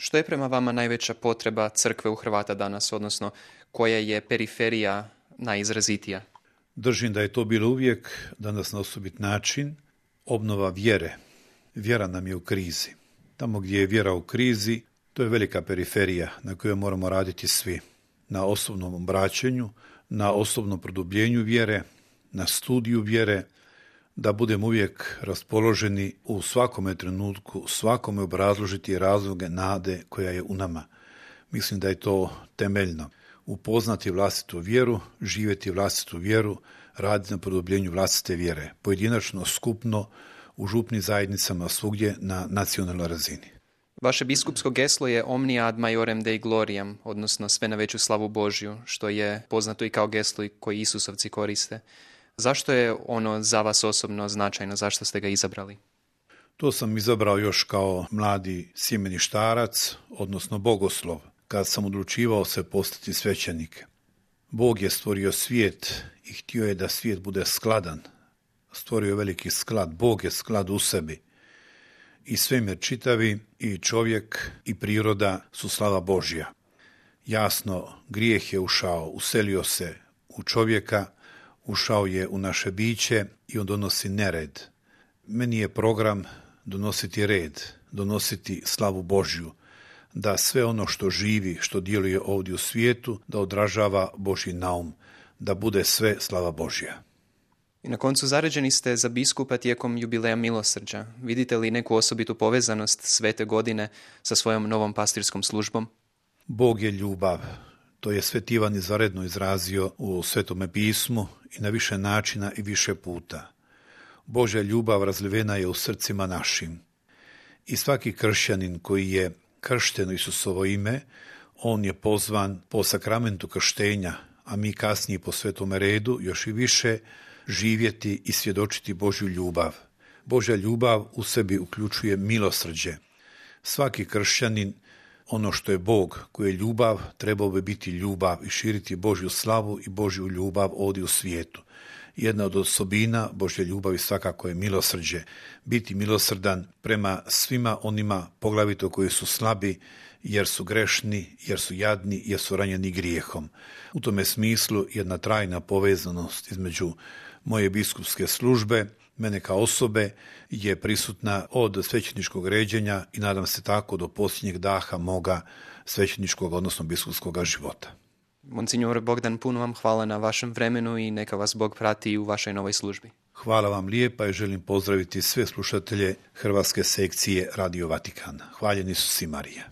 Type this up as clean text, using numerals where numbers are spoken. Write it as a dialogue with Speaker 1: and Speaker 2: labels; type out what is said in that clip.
Speaker 1: Što je prema vama najveća potreba crkve u Hrvata danas, odnosno koja je periferija najizrazitija?
Speaker 2: Držim da je to bilo uvijek, danas na osobit način, obnova vjere. Vjera nam je u krizi. Tamo gdje je vjera u krizi, to je velika periferija na kojoj moramo raditi svi. Na osobnom obraćanju, na osobnom produbljenju vjere, na studiju vjere, da budemo uvijek raspoloženi u svakome trenutku, svakome obrazložiti razloge nade koja je u nama. Mislim da je to temeljno. Upoznati vlastitu vjeru, živjeti vlastitu vjeru, raditi na produbljenju vlastite vjere. Pojedinačno, skupno, u župnim zajednicama, svugdje na nacionalnoj razini.
Speaker 1: Vaše biskupsko geslo je Omnia ad majorem Dei gloriam, odnosno sve na veću slavu Božju, što je poznato i kao geslo koji Isusovci koriste. Zašto je ono za vas osobno značajno? Zašto ste ga izabrali?
Speaker 2: To sam izabrao još kao mladi sjemeništarac, odnosno bogoslov, kad sam odlučivao se postati svećenik. Bog je stvorio svijet i htio je da svijet bude skladan. Stvorio je veliki sklad. Bog je sklad u sebi. I svemir čitavi, i čovjek, i priroda su slava Božja. Jasno, grijeh je ušao, uselio se u čovjeka, ušao je u naše biće i on donosi nered. Meni je program donositi red, donositi slavu Božju, da sve ono što živi, što djeluje ovdje u svijetu, da odražava Božji naum, da bude sve slava Božja.
Speaker 1: I na koncu zaređeni ste za biskupa tijekom jubileja milosrđa. Vidite li neku osobitu povezanost svete godine sa svojom novom pastirskom službom?
Speaker 2: Bog je ljubav. To je Sveti Ivan izvanredno izrazio u Svetome pismu i na više načina i više puta. Božja ljubav razlivena je u srcima našim. I svaki kršćanin koji je kršten u Isusovo ime, on je pozvan po sakramentu krštenja, a mi kasnije po Svetome redu još i više živjeti i svjedočiti Božju ljubav. Božja ljubav u sebi uključuje milosrđe. Svaki kršćanin, ono što je Bog, koji je ljubav, trebao bi biti ljubav i širiti Božju slavu i Božju ljubav ovdje u svijetu. Jedna od osobina Božje ljubavi svakako je milosrđe. Biti milosrdan prema svima onima, poglavito koji su slabi, jer su grešni, jer su jadni, jer su ranjeni grijehom. U tome smislu jedna trajna povezanost između moje biskupske službe, mene kao osobe, je prisutna od svećeničkog ređenja i nadam se tako do posljednjeg daha moga svećeničkog, odnosno biskupskog života.
Speaker 1: Monsignor Bogdan, puno vam hvala na vašem vremenu i neka vas Bog prati u vašoj novoj službi.
Speaker 2: Hvala vam lijepa i želim pozdraviti sve slušatelje Hrvatske sekcije Radio Vatikana. Hvaljen Isus i Marija.